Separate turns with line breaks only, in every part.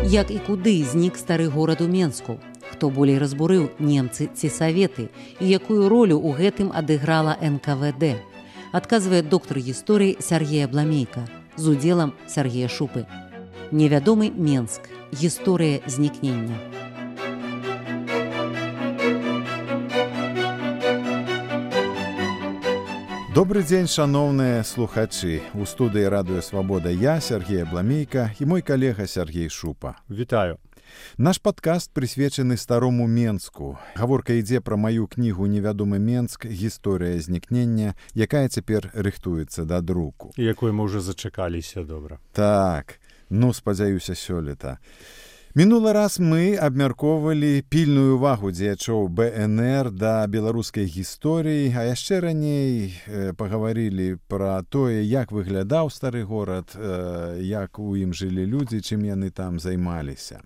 Як і куды знік стары горад у Менску? Хто болей разбурыў, немцы ці саветы? І якую ролю ў гэтым адыграла НКВД? Адказвае доктар гісторыі Сергей Абламейка з удзелам Сергея Шупы. Невядомы Менск. Гісторыя знікнення.
Добрый дзень, шаноўныя слухачы. У студыі Радыё Свабода я, Сергей Абламейка, і мой калега Сергей Шупа.
Вітаю.
Наш падкаст прысвечаны старому Менску. Гаворка ідзе пра маю кнігу «Невядомы Менск. Гісторыя знікнення», якая цяпер рыхтуецца да друку.
І якой мы ўжо зачакаліся добра.
Так, спадзяюся, сёлета. Мінулы раз мы абмяркоўвалі пільную увагу дзеячоў БНР да беларускай гісторыі, а яшчэ раней пагаварылі пра тое, як выглядаў стары горад, як у ім жылі людзі, чым яны там займаліся.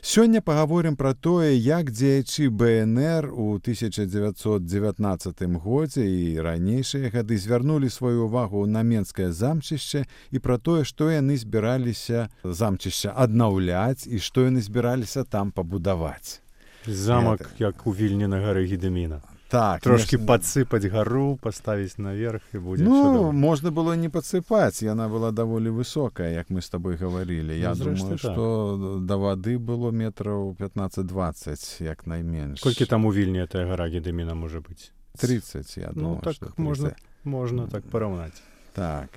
Сёння пагаворым пра тое, як дзеячы БНР у 1919 годзе і ранейшыя гады звярнулі сваю увагу на Менскае замчышча і пра тое, што яны збіраліся замчышча аднаўляць і што яны збіраліся там пабудаваць.
Замак, як у Вільні на гары Гедыміна.
Так,
трошки падсыпаць гару, паставіць наверх і будзе
чудова. Можна было не падсыпаць, яна была даволі высокая, як мы з табой гаварылі. Я думаю, што да вады было метраў 15-20, як найменш.
Колькі там у Вільні тая гара Гедыміна можа быць?
30, я думаю,
так
што
30. Можна так параўнаць.
Так.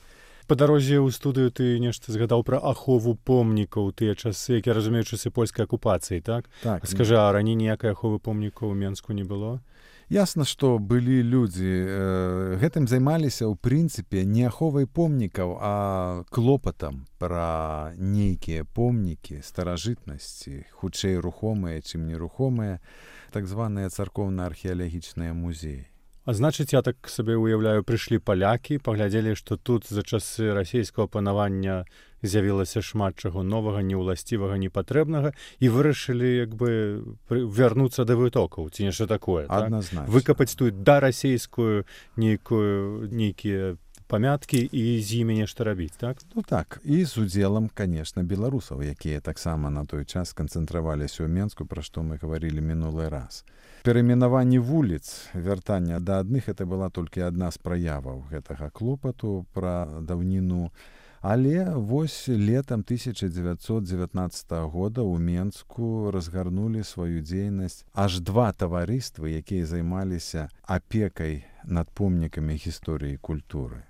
Па дарозе ў студыю ты нешта згадаў пра ахову помнікаў тыя часы, як я разумею, часы польскай акупацыі, так?
Так.
Скажы, а раней ніякай аховы помнікаў у Менску не было?
Ясна, што былі людзі, гэтым займаліся ў прынцыпе не аховай помнікаў, а клопатам пра нейкія помнікі старажытнасці, хутчэй рухомыя, чым нерухомыя, так званыя царкоўна-археалагічныя музеі.
А значыць, я так сабе ўяўляю, прыйшлі палякі, паглядзелі, што тут за часы расійскага панавання з'явілася шмат чаго новага, неўласцівага, непатрэбнага, і вырашылі як бы вярнуцца да вытокаў, ці нешта такое.
Адназначна.
Так? Выкапаць тут дарасійскую нейкія памяткі і з імі нешта рабіць, так?
Так, і з удзелам, канешне, беларусаў, якія таксама на той час канцэнтраваліся ў Менску, пра што мы гаварылі мінулы раз. Перайменаванне вуліц, вяртання да адных, это была толькі адна з праяваў гэтага клопату пра даўніну. Але вось летам 1919 года ў Менску разгарнулі сваю дзейнасць аж два таварыствы, якія займаліся апекай над помнікамі гісторыі і культуры.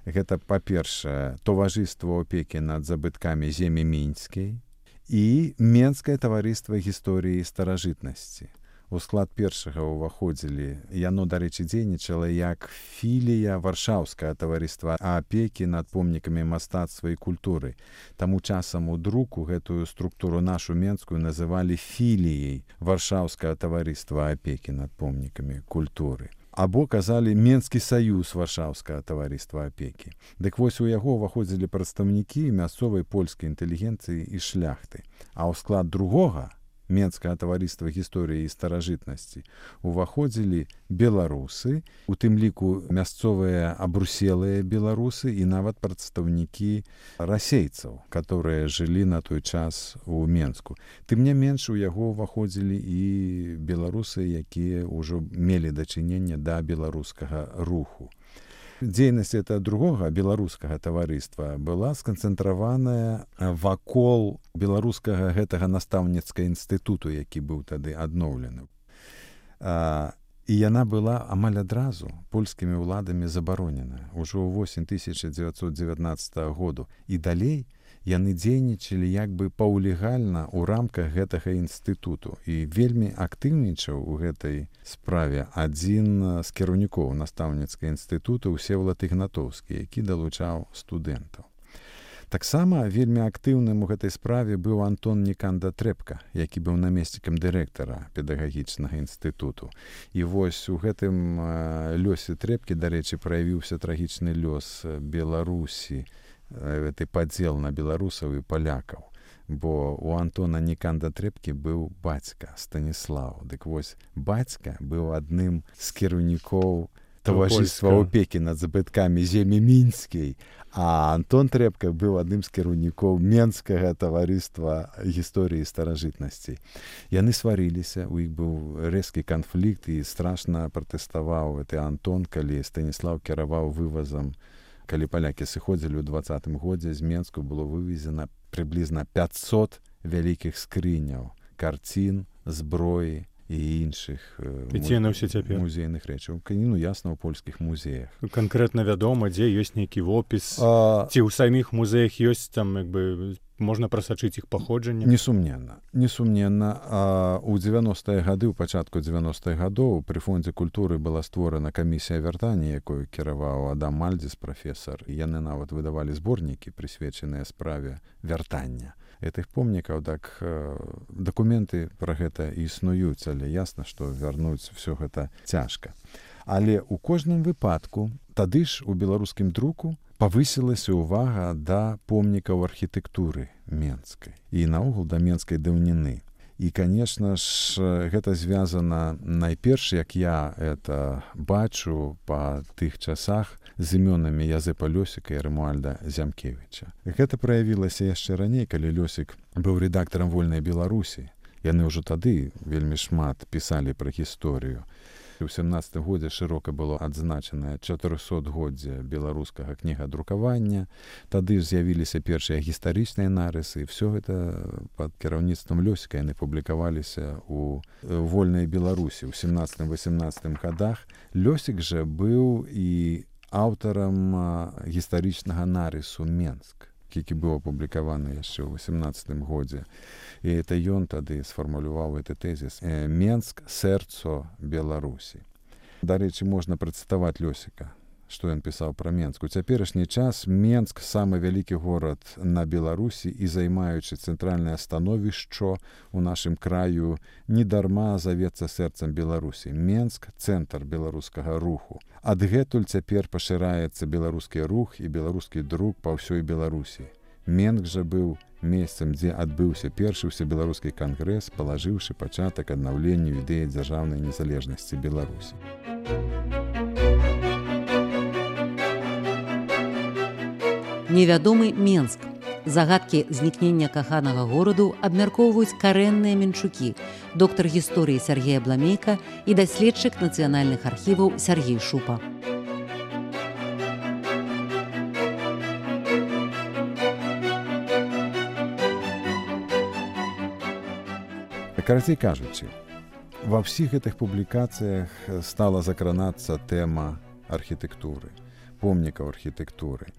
Гэта, па-першае, таварыства апекі над забыткамі земі мінскай і Менскае таварыства гісторыі і старажытнасці. У склад першага ўваходзілі, яно, дарэчы, дзейнічала як філія варшаўскага таварыства апекі над помнікамі мастацтва і культуры. Таму часам у друку гэтую структуру нашу менскую называлі філіяй варшаўскага таварыства апекі над помнікамі культуры. Або казалі Менскі саюз варшаўскага таварыства апекі. Дык вось у яго ўваходзілі прадстаўнікі мясцовай польскай інтэлігенцыі і шляхты. А ў склад другога Менскага таварыства гісторыі і старажытнасці уваходзілі беларусы, у тым ліку мясцовыя абруселыя беларусы і нават прадстаўнікі расейцаў, которые жылі на той час у Менску. Тым не менш, у яго уваходзілі і беларусы, якія ўжо мелі дачыненне да беларускага руху. Дзейнасць этого другога беларускага таварыства была сканцэнтраваная вакол беларускага гэтага настаўніцкага інстытуту, які быў тады адноўлены. І яна была амаль адразу польскімі ўладамі забаронена ўжо ўвосень 1919 году. І далей яны дзейнічалі як бы паўлегальна ў рамках гэтага інстытуту. І вельмі актыўнічаў у гэтай справе адзін з кіраўнікоў настаўніцкага інстытута Всеволад Ігнатоўскі, які далучаў студэнтаў. Таксама вельмі актыўным у гэтай справе быў Антон Ніканда Трэпка, які быў намеснікам дырэктара педагагічнага інстытуту. І вось у гэтым лёсе Трэпкі, дарэчы, праявіўся трагічны лёс Беларусі, гэты падзел на беларусаў і палякаў. Бо у Антона Ніканда Трэпкі быў бацька Станіслаў. Дык вось бацька быў адным з кіраўнікоў таварыства опекі над забыткамі землі мінскай, а Антон Трэпка быў адным з кіраўнікоў Менскага таварыства гісторыі старажытнасцей. Яны сварыліся, у іх быў рэзкі канфлікт і страшна пратэставаў гэты Антон, калі Станіслаў кіраваў вывазам. Калі палякі сыходзілі ў 20-м годзе, з Менску было вывезена прыблізна 500 вялікіх скрыняў, карцін, зброі і іншых музейных рэчаў. Ясна, ў польскіх музеях.
Канкрэтна вядома, дзе ёсць нейкі вопіс, ці ў саміх музеях ёсць там, можна прасачыць іх паходжанне?
Несумненна. У 90-е гады, у пачатку 90-х гадоў пры Фондзе культуры была створана камісія вяртання, якую кіраваў Адам Мальдзіс, прафесар. Яны нават выдавалі зборнікі, прысвечаныя справе вяртання гэтых помнікаў. Так дакументы пра гэта існуюць, але ясна, што вярнуць всё гэта цяжка. Але ў кожным выпадку тады ж у беларускім друку павысілася ўвага да помнікаў архітэктуры менскай і наогул да менскай даўніны. І, канешне ж, гэта звязана найперш, як я это бачу па тых часах, з імёнамі Язэпа Лёсіка і Рэмуальда Зямкевіча. Гэта праявілася яшчэ раней, калі Лёсік быў рэдактарам «Вольнай Беларусі». Яны ўжо тады вельмі шмат пісалі пра гісторыю. У 17 годзе шырока было адзначанае 400годдзе беларускага кнігадрукавання. Тады ж з'явіліся першыя гістарычныя нарысы, і ўсё гэта пад кіраўніцтвам Лёсіка яны публікаваліся ў «Вольнай Беларусі» ў 17-18 годах. Лёсік жа быў і аўтарам гістарычнага нарысу «Менск», які быў апублікаваны яшчэ ў 18 годзе. І это ён тады сфармуляваў гэты тэзіс «Менск – сэрцо Беларусі». Дарэчы, можна працытаваць Лёсіка, што ён пісаў пра Менск. У цяперашні час Менск – самы вялікі горад на Беларусі і займаючы цэнтральнае становішча ў нашым краю недарма завецца сэрцам Беларусі. Менск – цэнтр беларускага руху. Адгэтуль цяпер пашыраецца беларускі рух і беларускі друк па ўсёй Беларусі. Менск жа быў месцам, дзе адбыўся першы ўсебеларускі кангрэс, палажыўшы пачатак аднаўленню ідэі дзяржаўнай незалежнасці Беларусі.
Невядомы Менск. Загадкі знікнення каханага гораду абмяркоўваюць карэнныя менчукі, доктар гісторыі Сяргей Абламейка і даследчык нацыянальных архіваў Сяргей Шупа.
Карацей кажучы, ва ўсіх гэтых публікацыях стала закранацца тэма архітэктуры, помнікаў архітэктуры.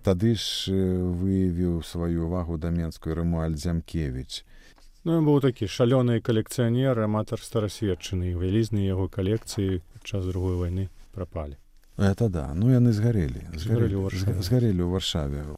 Тады ж выявіў сваю ўвагу да Менску Рэмуальд Зямкевіч.
Ён быў такі шалёны калекцыянер, аматар старасветчыны, вялізныя яго калекцыі падчас другой вайны прапалі.
Это да, яны згарэлі ў Варшаве.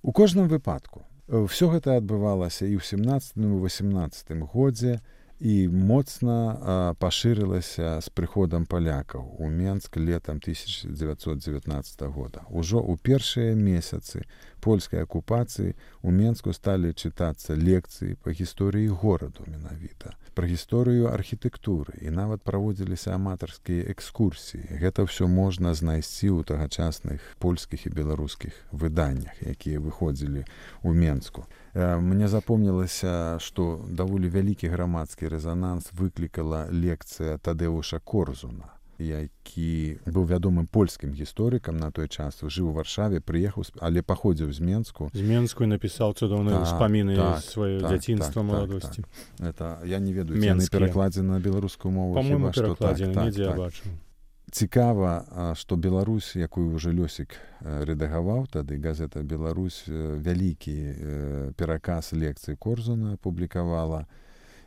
У кожным выпадку ўсё гэта адбывалася і ў 17 і 18 годзе і моцна пашырылася з прыходам палякаў у Менск летам 1919 года. Ужо ў першыя месяцы польскай акупацыі у Менску сталі чытацца лекцыі па гісторыі гораду менавіта, пра гісторыю архітэктуры і нават праводзіліся аматарскія экскурсіі. Гэта ўсё можна знайсці ў тагачасных польскіх і беларускіх выданнях, якія выходзілі ў Менску. Мне запомнілася, што даволі вялікі грамадскі рэзананс выклікала лекцыя Тадэуша Корзуна, які быў вядомым польскім гісторыкам на той час, жыў у Варшаве, прыехаў, але паходзіў з Менску.
З Менску напісаў цудоўныя ўспаміны сваё дзяцінства, маладосці.
Это я не ведаю, ці яны перакладзены на беларускую мову.
Па-мойму, перакладзены, недзе я бачыў.
Цікава, што Беларусь, якую ўжо Лёсік рэдагаваў, тады газета «Беларусь» вялікі пераказ лекцый Корзуна публікавала.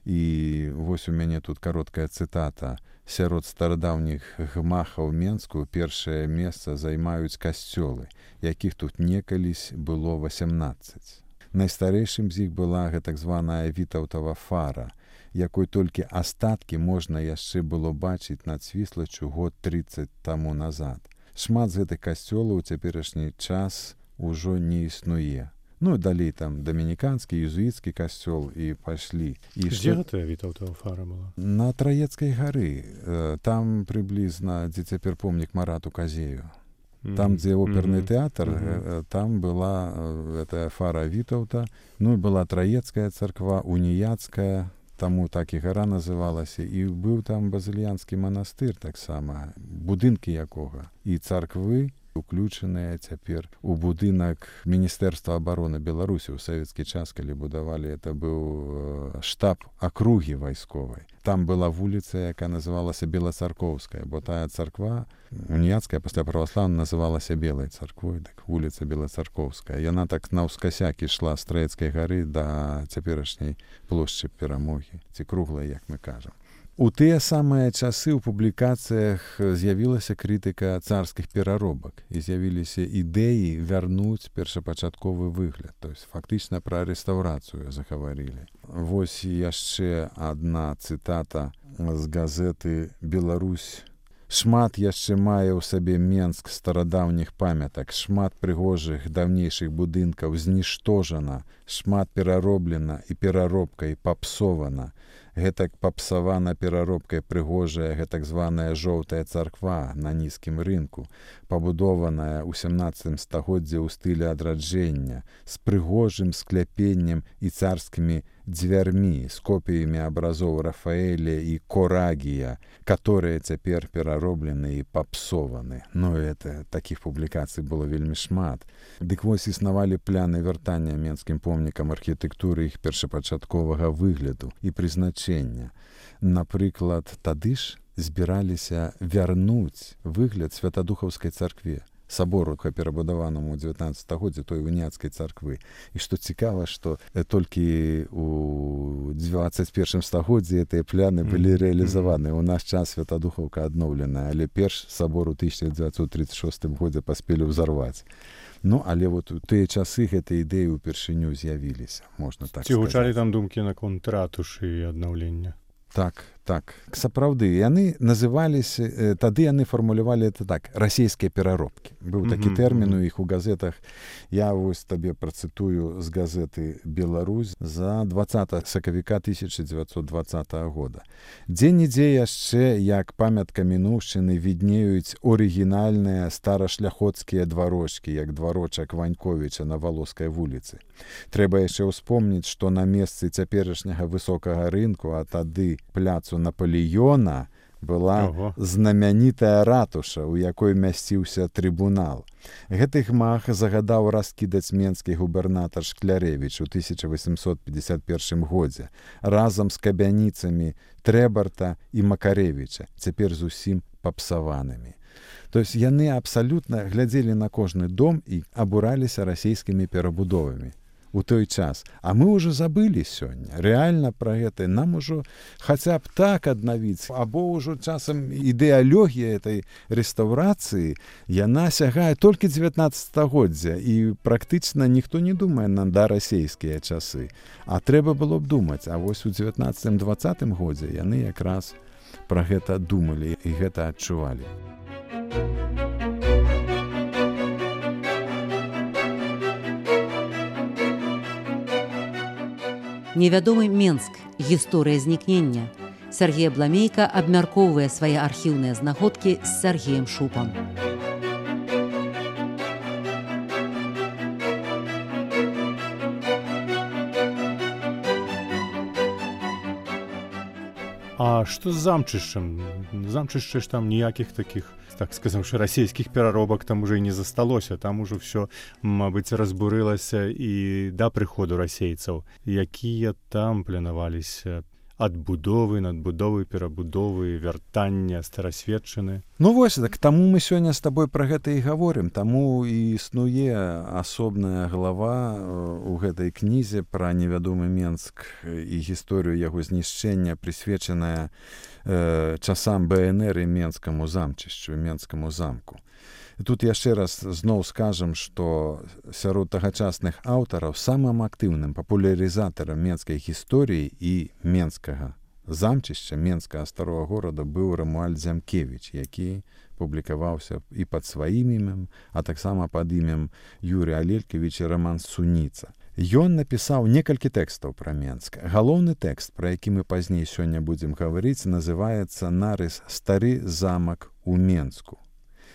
І вось у мяне тут кароткая цытата. Сярод старадаўніх гмахаў Менску першае месца займаюць касцёлы, якіх тут некалісь было 18. Найстарэйшым з іх была так званая Вітаўтава фара, якой толькі астаткі можна яшчэ было бачыць над Свіслаччу год 30 таму назад. Шмат з гэтых касцёлаў у цяперашні час ужо не існуе. Ну, далей там дамініканскі, езуіцкі касцёл і пайшлі.
Дзе гэтая Вітаўтава фара была?
На Траецкай гары. Там прыблізна, дзе цяпер помнік Марату Казею. Там, дзе оперны тэатр, там была гэтая фара Вітаўта. Ну, і была Траецкая царква, уніяцкая, таму так і гара называлася. І быў там базыльянскі манастыр таксама, будынкі якога. І царквы уключаныя цяпер у будынак Міністэрства абароны Беларусі ў савецкі час, калі будавалі, это быў штаб акругі вайсковай. Там была вуліца, якая называлася Белацаркоўская, бо тая царква уніяцкая пасля праваслаўнай называлася Белай царквой, так вуліца Белацаркоўская. Яна так наўскасяк ішла з Траецкай гары да цяперашняй плошчы Перамогі, ці круглай, як мы кажам. У тыя самыя часы ў публікацыях з'явілася крытыка царскіх пераробак і з'явіліся ідэі вярнуць першапачатковы выгляд. То есть фактычна пра рэстаўрацыю загаварылі. Вось яшчэ адна цытата з газеты «Беларусь». Шмат яшчэ мае ў сабе Менск старадаўніх памятак, шмат прыгожых даўнейшых будынкаў зніштожана, шмат перароблена і пераробкай папсована. Гэтак папсавана пераробкай прыгожая гэтак званая жоўтая царква на нізкім рынку, пабудованая ў 17 стагоддзі ў стылі адраджэння, з прыгожым скляпеннем і царскімі дзвярмі, з копіямі абразоў Рафаэля і Корагія, которые цяпер перароблены і папсованы. Ну, это такіх публікацый было вельмі шмат. Дык вось існавалі пляны вяртання менскім помнікам архітэктуры іх першапачатковага выгляду і прызначэння. Напрыклад, тады ж збіраліся вярнуць выгляд Святадухаўскай царкве, сабору, перабудаванаму ў 19 стагоддзі той уніяцкай царквы. І што цікава, што толькі ў 21 стагоддзі гэтыя пляны былі рэалізаваны. У наш час Святадухаўка адноўленая, але перш сабор у 1936 годзе паспелі ўзарваць. Ну, але вот у тыя часы гэтыя ідэі ўпершыню з'явіліся, можна так сказаць.
Ці гучалі там думкі наконт ратушы і аднаўлення?
Так. Сапраўды, яны называліся, тады яны фармулявалі это так, расійскія пераробкі. Быў такі тэрмін у іх у газетах. Я вось табе працытую з газеты «Беларусь» за 20 сакавіка 1920 года. Дзе-нідзе яшчэ, як памятка мінуўшчыны, віднеюць орыгінальныя старашляхоцкія дварочкі, як дварочак Ваньковіча на Валоскай вуліцы. Трэба яшчэ ўспомніць, што на месцы цяперашняга высокага рынку, а тады пляцу Наполеона, была знамянітая ратуша, у якой мясціўся трыбунал. Гэты гмах загадаў раскідаць менскі губернатар Шклярэвіч у 1851 годзе разам з кабяніцамі Трэбарта і Макарэвіча, цяпер зусім папсаванымі. То есть яны абсалютна глядзелі на кожны дом і абураліся расійскімі перабудовамі у той час. А мы ўжо забылі сёння. Рэальна пра гэта нам ужо хаця б так аднавіць, або ўжо часам ідэалогія этой рэстаўрацыі, яна сягае толькі 19 стагоддзя, і практычна ніхто не думае на расійскія часы. А трэба было б думаць, а вось у 19-20 годзе яны якраз пра гэта думалі і гэта адчувалі.
Невядомы Менск. Гісторыя знікнення. Сяргей Абламейка абмяркоўвае свае архіўныя знаходкі з Сяргеем Шупам.
А што з замчышчам? Замчышча ж там ніякіх такіх, так сказаўшы, расійскіх пераробак там уже і не засталося. Там ужо ўсё, мабыць, разбурылася і да прыходу расейцаў. Якія там планаваліся адбудовы, надбудовы, перабудовы, вяртання, старасветчыны?
Ну вось, так таму мы сёння з табой пра гэта і гаворым. Таму і існуе асобная глава ў гэтай кнізе пра невядомы Менск і гісторыю яго знішчэння, прысвечаная часам БНР і Менскаму замчышчу, Менскаму замку. Тут яшчэ раз зноў скажам, што сярод тагачасных аўтараў самым актыўным папулярызатарам менскай гісторыі і менскага замчышча менскага старога горада быў Рамуальд Зямкевіч, які публікаваўся і пад сваім імем, а таксама пад імем Юрія Алелькевіча Раман Суніца. Ён напісаў некалькі тэкстаў пра Менск. Галоўны тэкст, пра які мы пазней сёння будзем гаварыць, называецца «Нарыс «Стары замак у Менску».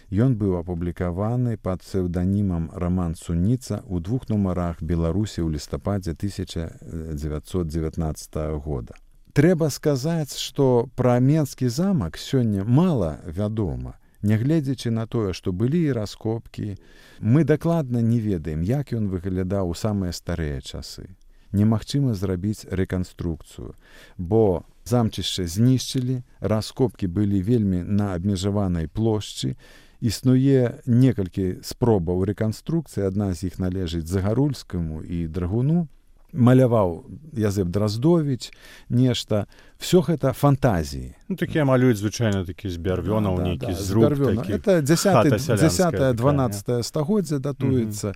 Ён быў апублікаваны пад псеўданімам Раман Суніца ў 2 нумарах Беларусі ў лістападзе 1919 года. Трэба сказаць, што пра Менскі замак сёння мала вядома. Нягледзячы на тое, што былі і раскопкі, мы дакладна не ведаем, як ён выглядаў у самыя старыя часы. Немагчыма зрабіць рэканструкцыю, бо замчышча знішчылі, раскопкі былі вельмі на абмежаванай плошчы, існуе некалькі спробаў рэканструкцыі, адна з іх належыць Загарульскаму і Драгуну, маляваў Язэп Драздовіч, нешта. Всё гэта фантазіі.
Ну, такія малююць звычайна такі з бярвёнаў, нейкі зруб такі.
Это 10-12 стагоддзя датуецца.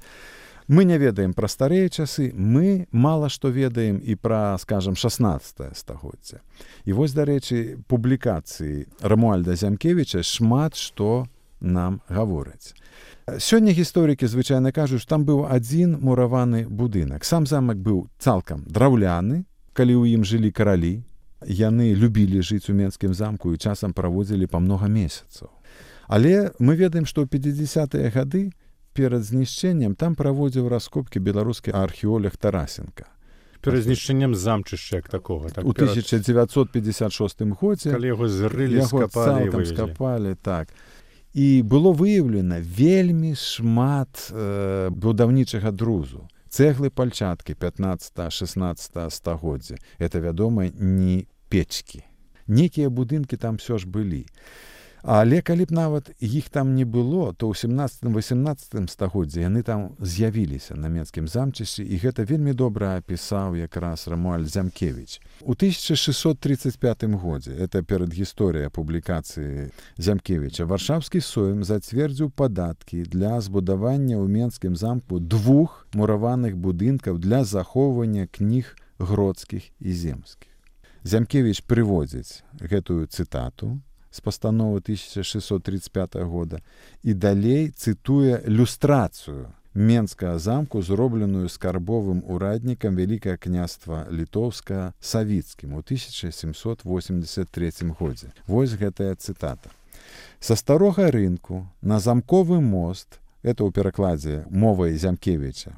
Мы не ведаем пра старыя часы, мы мала што ведаем і пра, скажам, 16 стагоддзя. І вось, дарэчы, публікацыі Рамуальда Зямкевіча шмат што нам гавораць. Сёння гісторыкі звычайна кажуць, што там быў адзін мураваны будынак. Сам замак быў цалкам драўляны, калі ў ім жылі каралі. Яны любілі жыць у Менскім замку і часам праводзілі па многа месяцаў. Але мы ведаем, што ў 50-е гады перад знішчэннем там праводзіў раскопкі беларускі археолог Тарасенка.
Перад знішчэннем замчышча як такога.
У 1956 годзе.
Калі яго зрылі, скапалі і вывезлі.
Скапалі, так. І было выяўлена вельмі шмат будаўнічага друзу. Цэглы пальчаткі 15-16 стагоддзя. Это, вядома, не печкі. Некія будынкі там ўсё ж былі. Але калі б нават іх там не было, то ў 17-18 стагоддзі яны там з'явіліся на Менскім замчышчы, і гэта вельмі добра апісаў якраз Рамуальд Зямкевіч. У 1635 годзе, это перад гісторыяй публікацыі Зямкевіча, Варшаўскі Сойм зацвердзіў падаткі для збудавання ў Менскім замку 2 мураваных будынкаў для захоўвання кніг гродскіх і земскіх. Зямкевіч прыводзіць гэтую цытату з пастановы 1635 года і далей цытуе люстрацыю Менскага замку, зробленую скарбовым ураднікам Вялікае княства Літоўска Савіцкім у 1783 годзе. Вось гэтая цытата. Са старога рынку на замковы мост, это ў перакладзе мовай Зямкевіча,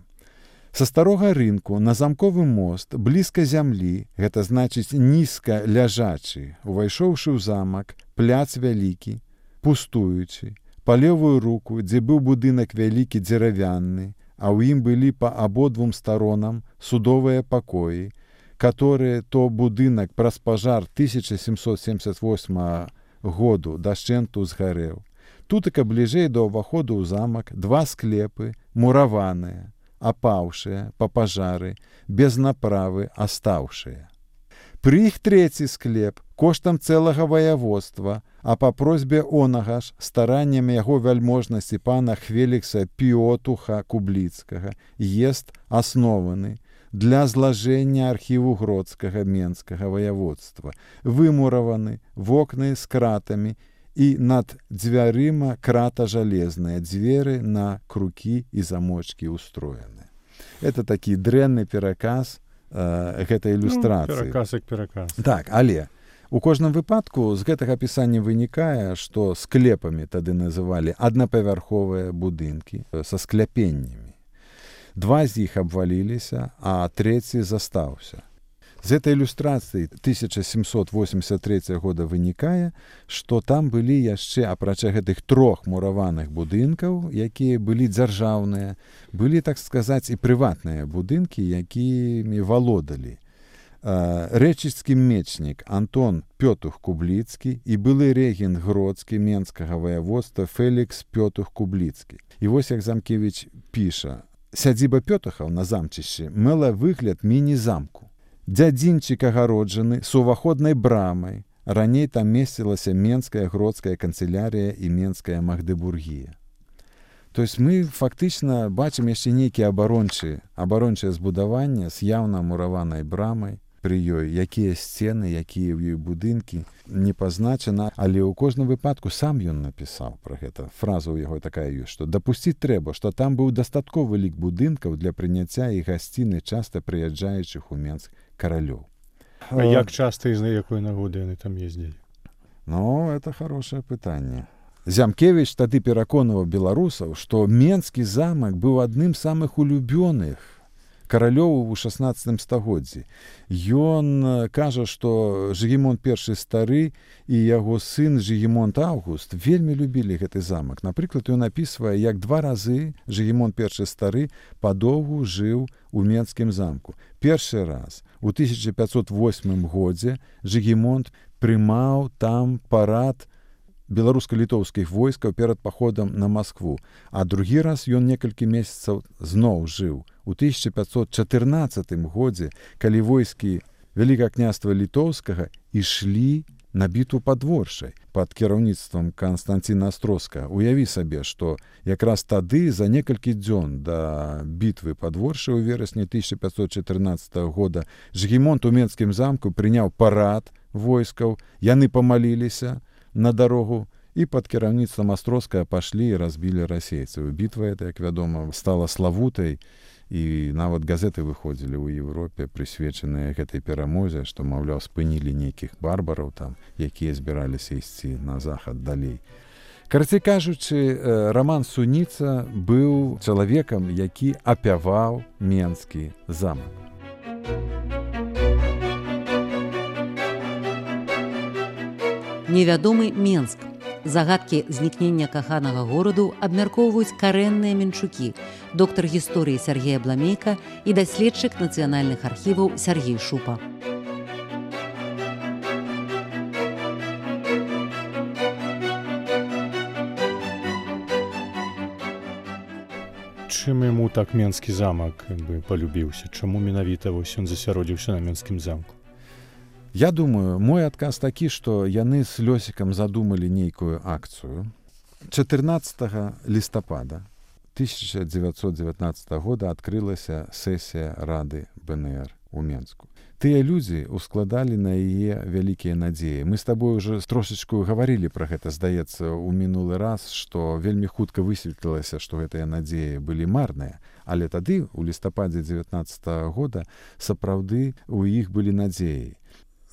са старога рынку на замковы мост блізка зямлі, гэта значыць нізка ляжачы, увайшоўшы ў замак, пляц вялікі, пустуючы, па левую руку, дзе быў будынак вялікі дзеравянны, а ў ім былі па абодвум старонам судовыя пакоі, которые то будынак праз пажар 1778 году дашчэнту згарэў. Тутака бліжэй да ўваходу ў замак 2 склепы, мураваныя, апаўшыя па пажары, без направы астаўшыя. Пры іх 3 склеп коштам цэлага ваяводства, а па просьбе онага ж стараннем яго вяльможнасці пана Хвелікса Піотуха Кубліцкага езд аснованы для злажэння архіву гродскага менскага ваяводства, вымураваны вокны з кратамі і над дзвярыма крата жалезная, дзверы на крукі і замочкі устроены. Это такі дрэнны пераказ гэтай ілюстрацыі.
Пераказ як пераказ.
Так, але у кожным выпадку з гэтага апісання вынікае, што склепамі тады называлі аднапавярховыя будынкі са скляпеннямі. 2 з іх абваліліся, а 3 застаўся. З этой ілюстрацыі 1783 года вынікае, што там былі яшчэ, апрача гэтых 3 мураваных будынкаў, якія былі дзяржаўныя, былі, так сказаць, і прыватныя будынкі, якімі валодалі. Рэчыцкі мечнік Антон Пётух Кубліцкі і былы рэгент гродскі менскага ваяводства Фелікс Пётух Кубліцкі. І вось як Замкевіч піша: «Сядзіба Пётухаў на замчышчы мела выгляд міні-замку. Дзядзінчык агароджаны з уваходнай брамай. Раней там месцілася Менская гродская канцылярія і Менская Магдебургія». То есть мы фактычна бачым яшчэ нейкія абарончыя збудаванні з яўна мураванай брамай, пры ёй, якія сцены, якія ў ёй будынкі, не пазначана, але ў кожным выпадку сам ён напісаў пра гэта. Фраза ў яго такая ёсць, што дапусціць трэба, што там быў дастатковы лік будынкаў для прыняцця і гасціны часта прыязджаючых у Менск каралёў.
А як часта і з якой нагоды яны там ездзілі?
Ну, это хорошее пытанне. Зямкевіч тады пераконваў беларусаў, што Менскі замак быў адным з самых улюбёных каралёў у 16 стагоддзі. Ён кажа, што Жыгімонт I стары і яго сын Жыгімонт Аўгуст вельмі любілі гэты замак. Напрыклад, ён апісвае, як 2 разы Жыгімонт I стары падоўгу жыў у Менскім замку. Першы раз у 1508 годзе Жыгімонт прымаў там парад беларуска-літоўскіх войскаў перад паходам на Маскву, а другі раз ён некалькі месяцаў зноў жыў у 1514 годзе, калі войскі Вялікага княства Літоўскага ішлі на бітву пад Воршай пад кіраўніцтвам Канстанціна Астроскага. Уяві сабе, што якраз тады за некалькі дзён да бітвы пад Воршай у верасні 1514 года Жыгімонт у Менскім замку прыняў парад войскаў, яны памаліліся на дарогу і пад кіраўніцтвам Астроскага пашлі і разбілі расейцаў. Бітва эта, як вядома, стала славутай, і нават газеты выходзілі ў Европе, прысвечаныя гэтай перамозе, што, маўляў, спынілі нейкіх барбараў там, якія збіраліся ісці на захад далей. Карацей кажучы, Раман Суніца быў чалавекам, які апяваў Менскі замак.
Невядомы Менск. Загадкі знікнення каханага гораду абмяркоўваюць карэнныя менчукі, доктар гісторыі Сяргей Абламейка і даследчык нацыянальных архіваў Сяргей Шупа.
Чым яму так Менскі замак палюбіўся? Чаму менавіта ён засяродзіўся на Менскім замку?
Я думаю, мой адказ такі, што яны з Лёсікам задумалі нейкую акцыю. 14 лістапада 1919 года адкрылася сесія Рады БНР у Менску. Тыя людзі ускладалі на яе вялікія надзеі. Мы з табой уже трошачку гаварылі пра гэта, здаецца, у мінулы раз, што вельмі хутка высветлілася, што гэтыя надзеі былі марныя. Але тады, у лістападзе 19 года, сапраўды у іх былі надзеі.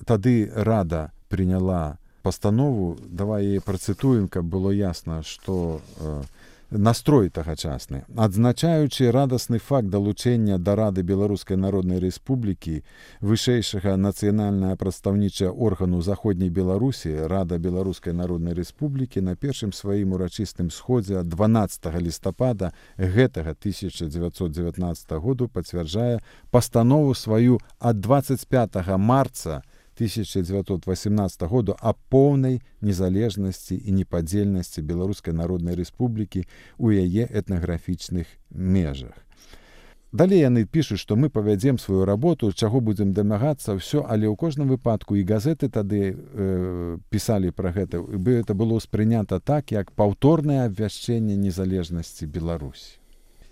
Тады Рада прыняла пастанову, давай яе працытуем, каб было ясна, што настрой тагачасны. Адзначаючы радасны факт далучэння да Рады Беларускай Народнай Рэспублікі вышэйшага нацыянальнага прадстаўнічага органу Заходняй Беларусі, Рада Беларускай Народнай Рэспублікі на першым сваім урачыстым сходзе 12 лістапада гэтага 1919 году пацвярджае пастанову сваю ад 25 марца 1918 году о поўнай незалежнасці і непадзельнасці Беларускай Народнай Рэспублікі ў яе этнаграфічных межах. Далей яны пішуць, што мы павядзем сваю работу, чаго будзем дамагацца, ўсё, але ў кожным выпадку і газеты тады пісалі пра гэта, бы это было ўспрынята так, як паўторнае абвяшчэнне незалежнасці Беларусі.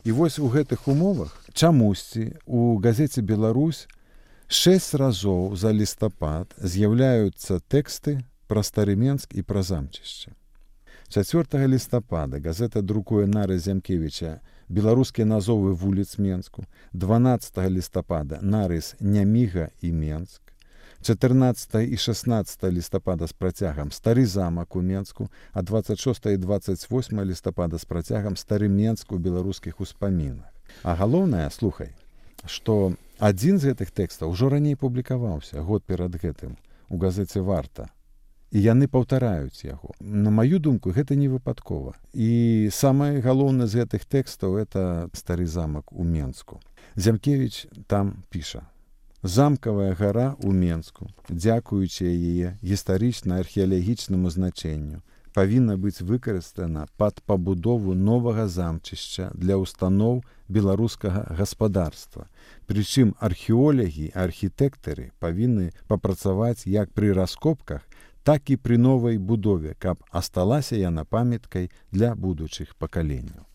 І вось у гэтых умовах чамусьці у газеце «Беларусь» 6 разоў за лістапад з'яўляюцца тэксты пра Стары Менск і пра замчышча. 4 лістапада газета друкуе нарыс Зямкевіча «Беларускія назовы вуліц Менску», 12 лістапада нарыс «Няміга і Менск», 14 і 16 лістапада з працягам «Стары замак у Менску», а 26 і 28 лістапада з працягам «Стары Менск у беларускіх успамінах». А галоўнае, слухай, што адзін з гэтых тэкстаў ужо раней публікаваўся год перад гэтым у газеце «Варта». І яны паўтараюць яго. На маю думку, гэта не выпадкова. І самае галоўнае з гэтых тэкстаў — это «Стары замак у Менску». Зямкевіч там піша: «Замкавая гара ў Менску, дзякуючы яе гістарычна-археалагічнаму значэнню, павінна быць выкарыстана пад пабудову новага замчышча для устаноў беларускага гаспадарства. Прычым археолагі і архітэктары павінны папрацаваць як пры раскопках, так і пры новай будове, каб асталася яна памяткай для будучых пакаленняў».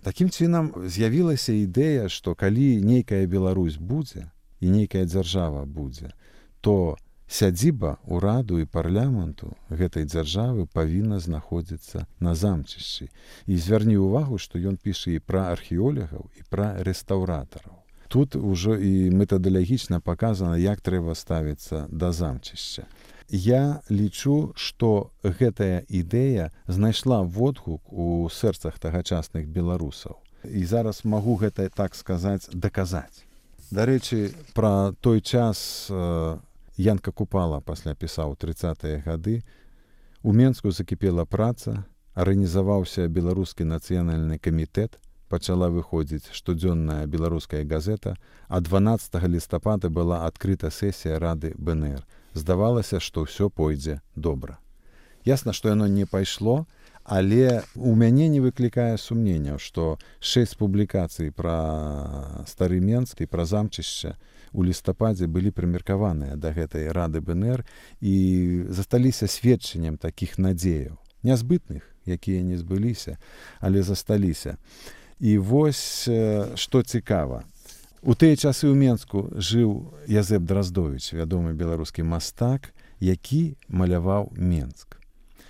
Такім чынам з'явілася ідэя, што калі нейкая Беларусь будзе, і нейкая дзяржава будзе, то сядзіба ўраду і парламенту гэтай дзяржавы павінна знаходзіцца на замчышчы. І звярні ўвагу, што ён піша і пра археолагаў, і пра рэстаўратараў. Тут ужо і метадалагічна паказана, як трэба ставіцца да замчышча. Я лічу, што гэтая ідэя знайшла водгук у сэрцах тагачасных беларусаў. І зараз магу гэта, так сказаць, даказаць. Дарэчы, пра той час Янка Купала пасля пісаў 30-е гады. У Менску закіпела праца, арганізаваўся беларускі нацыянальны камітэт, пачала выходзіць штодзённая беларуская газета, а 12 лістапада была адкрыта сесія Рады БНР. Здавалася, што ўсё пойдзе добра. Ясна, што яно не пайшло, але у мяне не выклікае сумненняў, што 6 публікацый пра стары Менск і пра замчышча у лістападзе былі прымеркаваныя да гэтай Рады БНР і засталіся сведчаннем такіх надзеяў. Нязбытных, якія не збыліся, але засталіся. І вось, што цікава. У тыя часы ў Менску жыў Язэп Драздовіч, вядомы беларускі мастак, які маляваў Менск.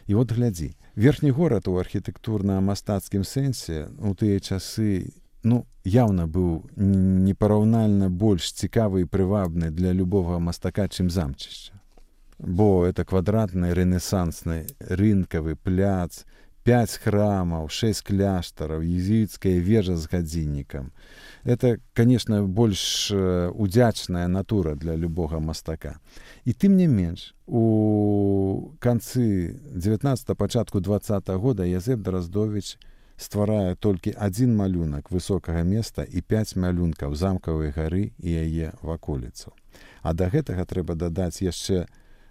І от глядзі, верхні горад у архітэктурна-мастацкім сэнсе у тыя часы, яўна быў непараўнальна больш цікавы і прывабны для любога мастака, чым замчышча. Бо это квадратны, рэнесансны, рынкавы пляц, 5 храмаў, 6 кляштараў, езуіцкая вежа з гадзіннікам. Это, конечно, больш удзячная натура для любога мастака. І тым не менш, у канцы 19-го, пачатку 20-го года Язэп Драздовіч стварае толькі адзін малюнак высокага места і 5 малюнкаў замкавай гары і яе ваколіцаў. А да гэтага трэба дадаць яшчэ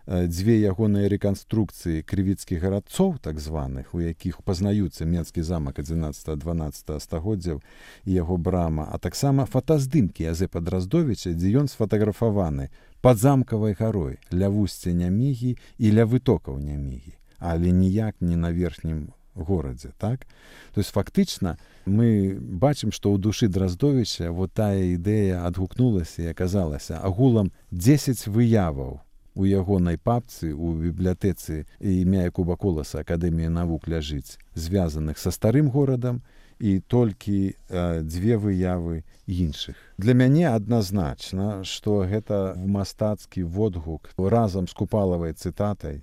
2 ягоныя рэканструкцыі крывіцкіх гарадцоў, так званых, у якіх пазнаюцца Менскі замак 11-12 стагоддзяў і яго брама, а таксама фотаздымкі Язэпа Драздовіча, дзе ён сфотаграфаваны пад замкавай гарой, ля вусця Нямігі і ля вытокаў Нямігі, але ніяк не на верхнім горадзе, так? То есть фактычна мы бачым, што ў душы Драздовіча вот тая ідэя адгукнулася і аказалася агулам 10 выяваў у ягонай папцы, у бібліятэцы імя Якуба Коласа Акадэмія навук ляжыць, звязаных са старым горадам, і толькі 2 выявы іншых. Для мяне адназначна, што гэта мастацкі водгук разам з Купалавай цытатай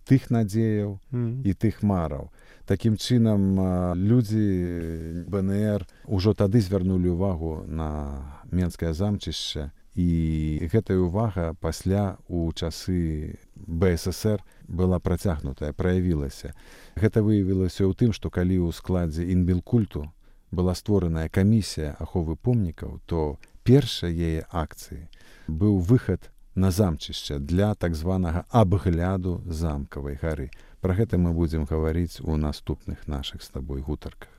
тых надзеяў і тых мараў. Такім чынам, людзі БНР ужо тады звярнулі ўвагу на Менскае замчышча, і гэтая ўвага пасля у часы БССР была працягнутая, праявілася. Гэта выявілася ў тым, што калі ў складзе Інбелкульту была створаная камісія аховы помнікаў, то першай яе акцыі быў выхад на замчышча для так званага абгляду замкавай гары. Пра гэта мы будзем гаварыць у наступных нашых з табой гутарках.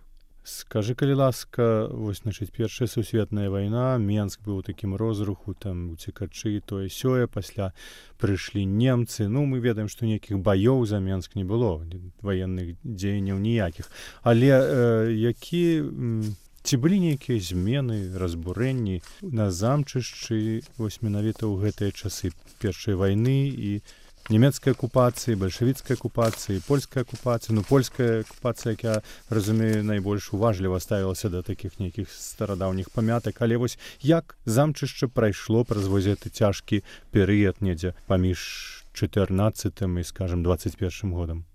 Скажы, калі ласка, вось, значыць, Першая сусветная вайна, Менск быў у такім розруху, там уцекачы, тое сёе, пасля прыйшлі немцы. Мы ведаем, што нейкіх баёў за Менск не было, ваенных дзеянняў ніякіх. Але ці былі нейкія змены, разбурэнні на замчышчы, вось менавіта ў гэтыя часы Першай вайны і нямецкай акупацыі, бальшавіцкай акупацыі, польскай акупацыі. Польская акупацыя, як я разумею, найбольш уважліва ставілася да такіх нейкіх старадаўніх памятак. Але вось як замчышча прайшло праз вось гэты цяжкі перыяд недзе паміж 14-м і, скажам, 21-м годам?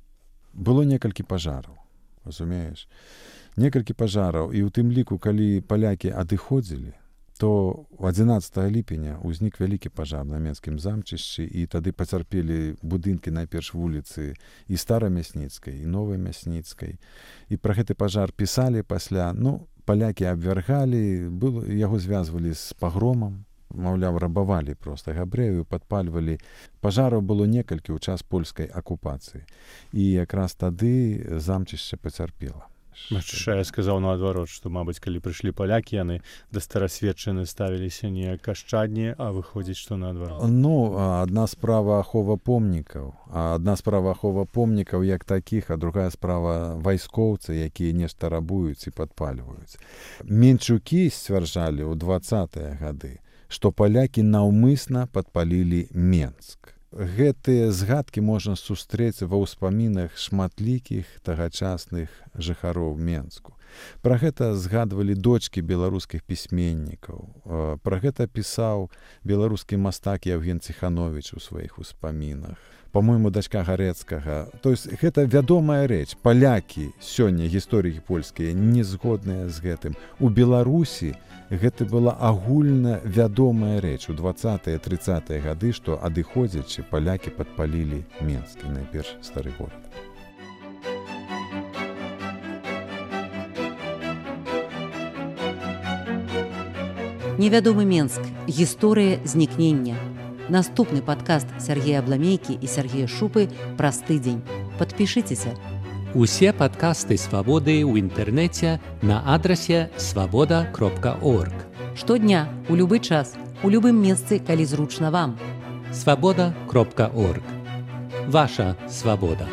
Было некалькі пажараў, разумееш? Некалькі пажараў, і ў тым ліку, калі палякі адыходзілі, то 11 ліпеня ўзнік вялікі пажар на Менскім замчышчы, і тады пацярпелі будынкі найперш вуліцы і Старамясніцкай, і Новай Мясніцкай. І пра гэты пажар пісалі пасля, палякі абвяргалі, яго звязвалі з пагромам, маўляў, рабавалі проста габрэяў, падпальвалі. Пажараў было некалькі ў час польскай акупацыі. І якраз тады замчышча пацярпела.
Я сказаў наадварот, што, мабыць, калі прыйшлі палякі, яны да старасветчыны ставіліся неяк ашчадней, а выходзіць, што наадварот.
Адна справа ахова помнікаў, як такіх, а другая справа вайскоўцы, якія нешта рабуюць і падпальваюць. Менчукі сцвярджалі ў 20-е гады, што палякі наўмысна падпалілі Менск. Гэтыя згадкі можна сустрэць ва ўспамінах шматлікіх тагачасных жыхароў Менску. Пра гэта згадвалі дочкі беларускіх пісьменнікаў. Пра гэта пісаў беларускі мастак Яўген Ціхановіч у сваіх успамінах. Па-мойму, дачка Гарэцкага. То есть гэта вядомая рэч. Палякі сёння, гісторыкі польскія, не згодныя з гэтым. У Беларусі гэта была агульна вядомая рэч у 20-30-е гады, што адыходзячы палякі падпалілі Менск, найперш стары горад.
Невядомы Менск. Гісторыя знікнення. Наступны падкаст Сяргея Абламейкі і Сяргея Шупы праз тыдзень. Падпішыцеся.
Усе падкасты «Свабоды» ў інтэрнэце на адрасе свабода.орг.
Штодня, у любы час, у любым месцы, калі зручна вам.
Свабода.орг. Ваша свабода.